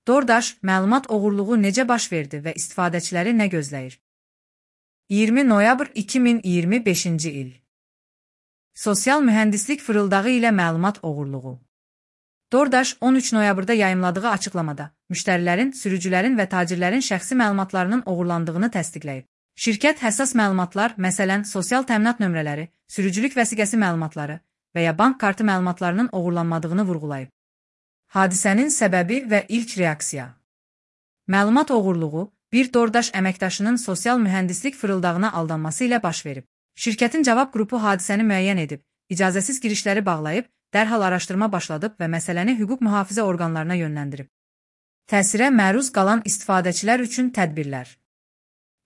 DoorDash məlumat oğurluğu necə baş verdi və istifadəçiləri nə gözləyir? 20 noyabr 2025-ci il. Sosial mühəndislik fırıldağı ilə məlumat oğurluğu. DoorDash 13 noyabrda yayımladığı açıqlamada müştərilərin, sürücülərin və tacirlərin şəxsi məlumatlarının oğurlandığını təsdiqləyib. Şirkət həssas məlumatlar, məsələn, sosial təminat nömrələri, sürücülük vəsiqəsi məlumatları və ya bank kartı məlumatlarının oğurlanmadığını vurğulayıb. Hadisənin səbəbi və ilk reaksiya. Məlumat oğurluğu bir DoorDash əməkdaşının sosial mühəndislik fırıldağına aldanması ilə baş verib. Şirkətin cavab qrupu hadisəni müəyyən edib, icazəsiz girişləri bağlayıb, dərhal araşdırma başladıb və məsələni hüquq mühafizə orqanlarına yönləndirib. Təsirə məruz qalan istifadəçilər üçün tədbirlər.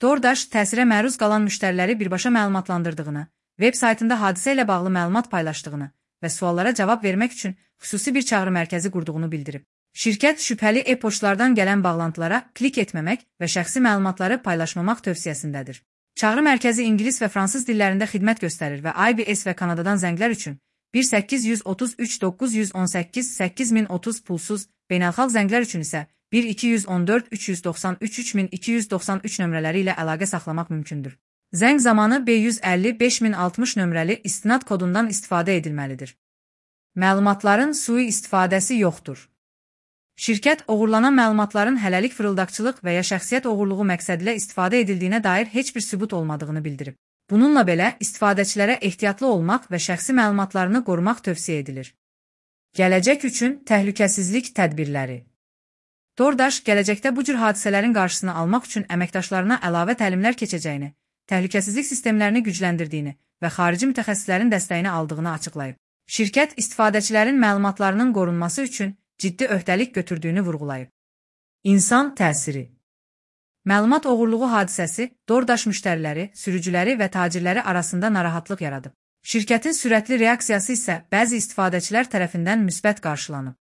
DoorDash təsirə məruz qalan müştəriləri birbaşa məlumatlandırdığını, veb saytında hadisə ilə bağlı məlumat paylaşdığını və suallara cavab vermək üçün xüsusi bir çağrı mərkəzi qurduğunu bildirib. Şirkət şübhəli e-poçtlardan gələn bağlantılara klik etməmək və şəxsi məlumatları paylaşmamaq tövsiyəsindədir. Çağrı mərkəzi ingilis və fransız dillərində xidmət göstərir və IBS və Kanadadan zənglər üçün 1-833 918 8030 pulsuz, beynəlxalq zənglər üçün isə 1-214 393 3293 nömrələri ilə əlaqə saxlamaq mümkündür. Zəng zamanı B150 5060 nömrəli istinad kodundan istifadə edilməlidir. Məlumatların sui istifadəsi yoxdur. Şirkət oğurlanan məlumatların hələlik fırıldaqçılıq və ya şəxsiyyət oğurluğu məqsədilə istifadə edildiyinə dair heç bir sübut olmadığını bildirib. Bununla belə, istifadəçilərə ehtiyatlı olmaq və şəxsi məlumatlarını qorumaq tövsiyə edilir. Gələcək üçün təhlükəsizlik tədbirləri. DoorDash gələcəkdə bu cür hadisələrin qarşısını almaq üçün əməkdaşlarına əlavə təlimlər keçəcəyini, təhlükəsizlik sistemlərini gücləndirdiyini və xarici mütəxəssislərin dəstəyini aldığını açıqlayıb. Şirkət istifadəçilərin məlumatlarının qorunması üçün ciddi öhdəlik götürdüyünü vurğulayıb. İnsan təsiri. Məlumat oğurluğu hadisəsi DoorDash müştəriləri, sürücüləri və tacirləri arasında narahatlıq yaradıb. Şirkətin sürətli reaksiyası isə bəzi istifadəçilər tərəfindən müsbət qarşılanıb.